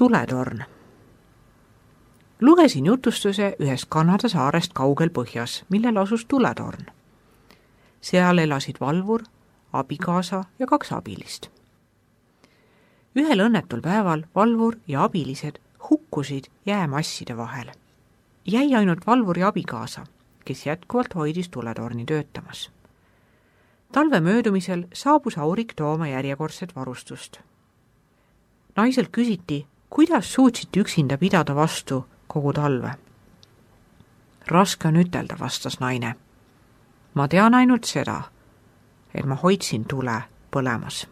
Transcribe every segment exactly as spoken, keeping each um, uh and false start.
Tuletorn. Lugesin jutustuse ühest Kanada saarest kaugel põhjas, millel asus tuletorn. Seal elasid valvur, abikaasa ja kaks abilist. Ühel õnnetul päeval valvur ja abilised hukkusid jäämasside vahel. Jäi ainult valvur ja abikaasa, kes jätkuvalt hoidis tuletorni töötamas. Talve möödumisel saabus Aurik tooma järjekordset varustust. Naiselt küsiti, kuidas suutsite üksinda pidada vastu kogu talve. Raske on ütelda, vastas naine. Ma tean ainult seda, et ma hoidsin tule põlemas.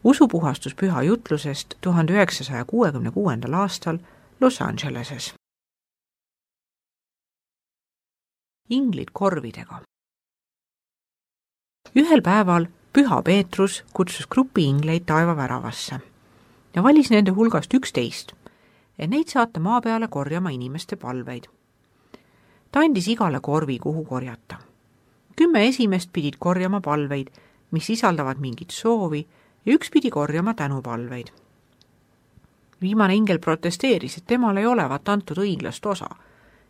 Usupuhastus püha jutlusest tuhande üheksasaja kuuekümne kuuendal aastal Los Angeleses. Inglid korvidega. Ühel päeval püha Peetrus kutsus grupi ingleid taevaväravasse ja valis nende hulgast üksteist, et neid saata maa peale korjama inimeste palveid. Ta andis igale korvi, kuhu korjata. Kümme esimest pidid korjama palveid, mis sisaldavad mingit soovi, ja üks pidi korjama tänupalveid. Viimane ingel protesteeris, et temal ei olevat antud õiglast osa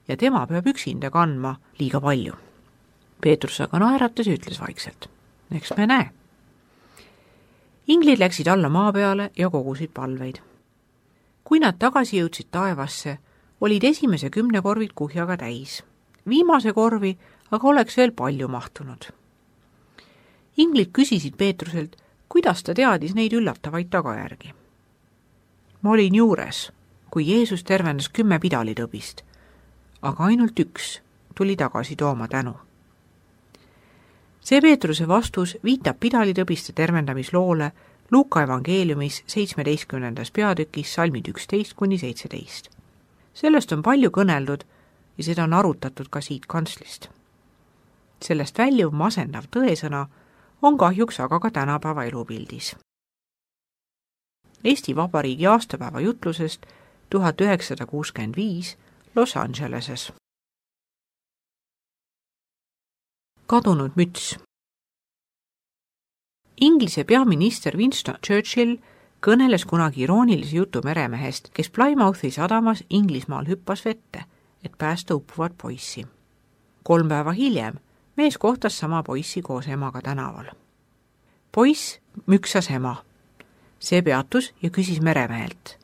ja tema peab üksinda kandma liiga palju. Peetrus aga naeratas ja ütles vaikselt, eks me näe. Inglid läksid alla maa peale ja kogusid palveid. Kui nad tagasi jõudsid taevasse, olid esimese kümne korvid kuhjaga täis. Viimase korvi aga oleks veel palju mahtunud. Inglid küsisid Peetruselt, kuidas ta teadis neid üllatavaid tagajärgi. Ma olin juures, kui Jeesus tervendas kümme pidalitõbist, aga ainult üks tuli tagasi tooma tänu. See Peetruse vastus viitab pidalitõbiste tervendamisloole Luuka evangeeliumis seitsmeteistkümnendas peatükis salmid üksteist kuni seitseteist. Sellest on palju kõneldud ja seda on arutatud ka siit kantslist. Sellest väljuv masendav tõesõna on kahjuks aga ka tänapäeva elupildis. Eesti Vabariigi aastapäeva jutlusest tuhat üheksasada kuuskümmend viis Los Angeleses. Kadunud müts. Inglise peaminister Winston Churchill kõneles kunagi iroonilise jutu meremehest, kes Plymouthi sadamas Inglismaal hüppas vette, et päästa uppuvat poissi. Kolm päeva hiljem mees kohtas sama poissi koos emaga tänaval. Poiss müksas ema. See peatus ja küsis meremehelt.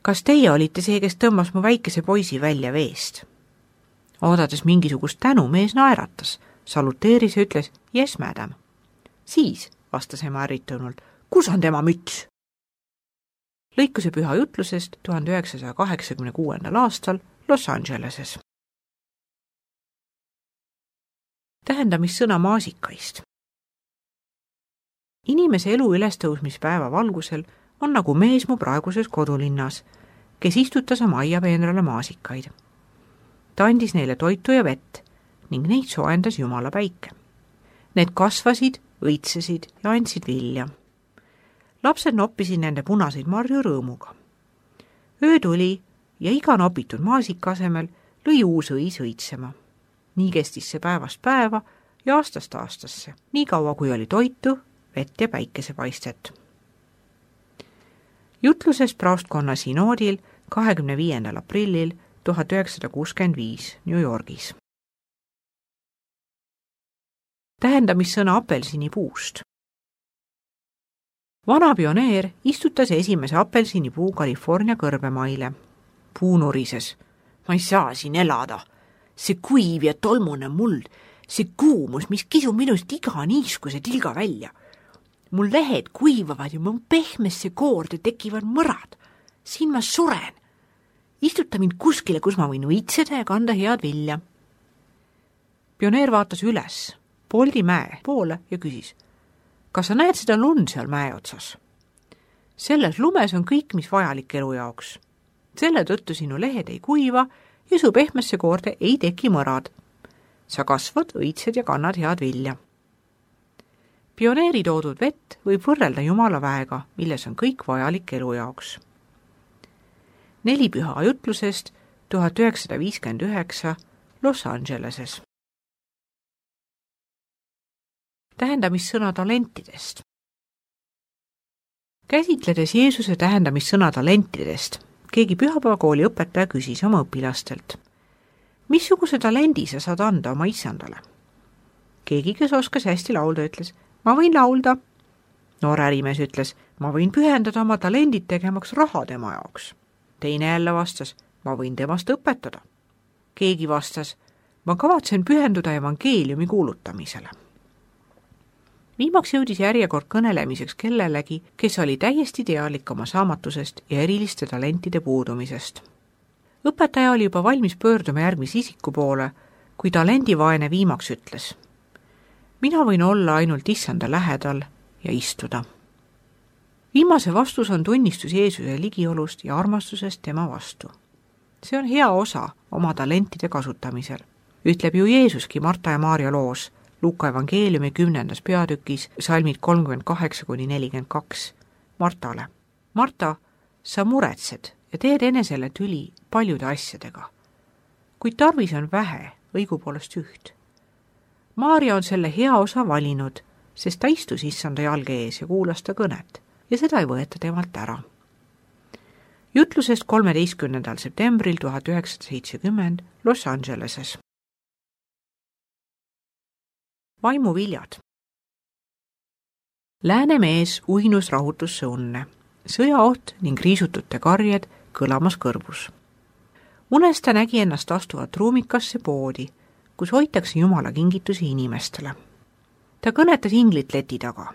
Kas teie olite see, kes tõmbas mu väikese poisi välja veest? Oodades mingisugust tänu, mees naeratas, saluteeris ja ütles, yes, madam. Siis, vastas ema ärritunult, kus on tema müts? Lõikuse püha jutlusest tuhande üheksasaja kaheksakümne kuuendal aastal Los Angeleses. Tähendamissõna maasikaist. Inimese elu ülestõusmispäeva valgusel on nagu mees mu praeguses kodulinnas, kes istutas oma aiapeenrale maasikaid. Ta andis neile toitu ja vett ning neid sooendas Jumala päike. Need kasvasid, õitsesid ja andsid vilja. Lapsed noppisid nende punaseid marju rõõmuga. Öö tuli ja iga nopitud maasika asemel lõi uus õis õitsema. Nii kestis see päevast päeva ja aastast aastasse, nii kaua kui oli toitu, vett ja päikesepaistet. Jutlusest praostkonna sinoodil kahekümne viiendal aprillil tuhat üheksasada kuuskümmend viis New Yorgis. Tähendamissõna apelsinipuust. Vana pioneer istutas esimese apelsinipuu California kõrbemaile. Puu nurises. Ma ei saa siin elada. See kuiv ja tolmune muld, see kuumus, mis kisub minust iga niiskuse tilga välja. Mul lehed kuivavad ja mu pehmesse koorde tekivad mõrad. Siin ma suren. Istuta mind kuskile, kus ma võin õitseda ja kanda head vilja. Pioneer vaatas üles Poldi mäe poole ja küsis, kas sa näed seda lund seal mäe otsas? Selles lumes on kõik, mis vajalik elu jaoks. Selle tõttu sinu lehed ei kuiva ja su pehmesse koorde ei teki mõrad. Sa kasvad, õitsed ja kannad head vilja. Pioneeri toodud vett võib võrrelda Jumala väega, milles on kõik vajalik elu jaoks. Neli püha jutlusest tuhat üheksasada viiskümmend üheksa Los Angeleses. Tähendamissõna talentidest. Käsitledes Jeesuse tähendamissõna talentidest, keegi pühapäevakooli õpetaja küsis oma õpilastelt, missuguse talendi sa saad anda oma issandale? Keegi, kes oskas hästi laulda, ütles, ma võin laulda. Noor ärimees ütles, ma võin pühendada oma talendid tegemaks raha tema jaoks. Teine jälle vastas, ma võin temast õpetada. Keegi vastas, ma kavatsen pühenduda evangeeliumi kuulutamisele. Viimaks jõudis järjekord kõnelemiseks kellelegi, kes oli täiesti teadlik oma saamatusest ja eriliste talentide puudumisest. Õpetaja oli juba valmis pöörduma järgmise isiku poole, kui talendivaene viimaks ütles, mina võin olla ainult issanda lähedal ja istuda. Viimase vastus on tunnistus Jeesuse ligiolust ja armastusest tema vastu. See on hea osa oma talentide kasutamisel. Ütleb ju Jeesuski Marta ja Maarja loos, Luuka evangeeliumi kümnendas peatükis, salmid kolmkümmend kaheksa kuni nelikümmend kaks, Martale. Marta, sa muretsed ja teed enesele tüli paljude asjadega, kuid tarvis on vähe, õigupoolest üht. Maarja on selle hea osa valinud, sest ta istus issanda jalge ees ja kuulas ta kõnet ja seda ei võeta temalt ära. Jutlusest kolmeteistkümnendal septembril tuhat üheksasada seitsekümmend Los Angeleses. Vaimuviljad. Läänemees uinus rahutusse unne, sõjaoht ning riisutute karjed kõlamas kõrvus. Unes ta nägi ennast astuvat ruumikasse poodi, kus hoitakse Jumala kingitusi inimestele. Ta kõnetas inglit leti taga.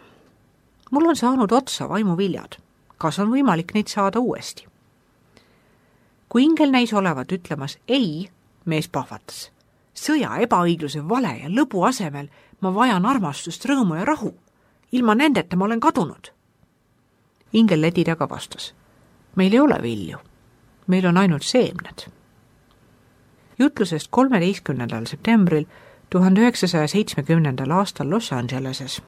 Mul on saanud otsa vaimuviljad. Kas on võimalik neid saada uuesti? Kui ingel näis olevat ütlemas ei, mees pahvatas. Sõja, ebaõigluse, vale ja lõbu asemel ma vajan armastust, rõõmu ja rahu. Ilma nendeta ma olen kadunud. Ingel leti taga vastas. Meil ei ole vilju. Meil on ainult seemned. Jutlusest kolmeteistkümnendal septembril tuhande üheksasaja seitsmekümnendal aastal Los Angeleses.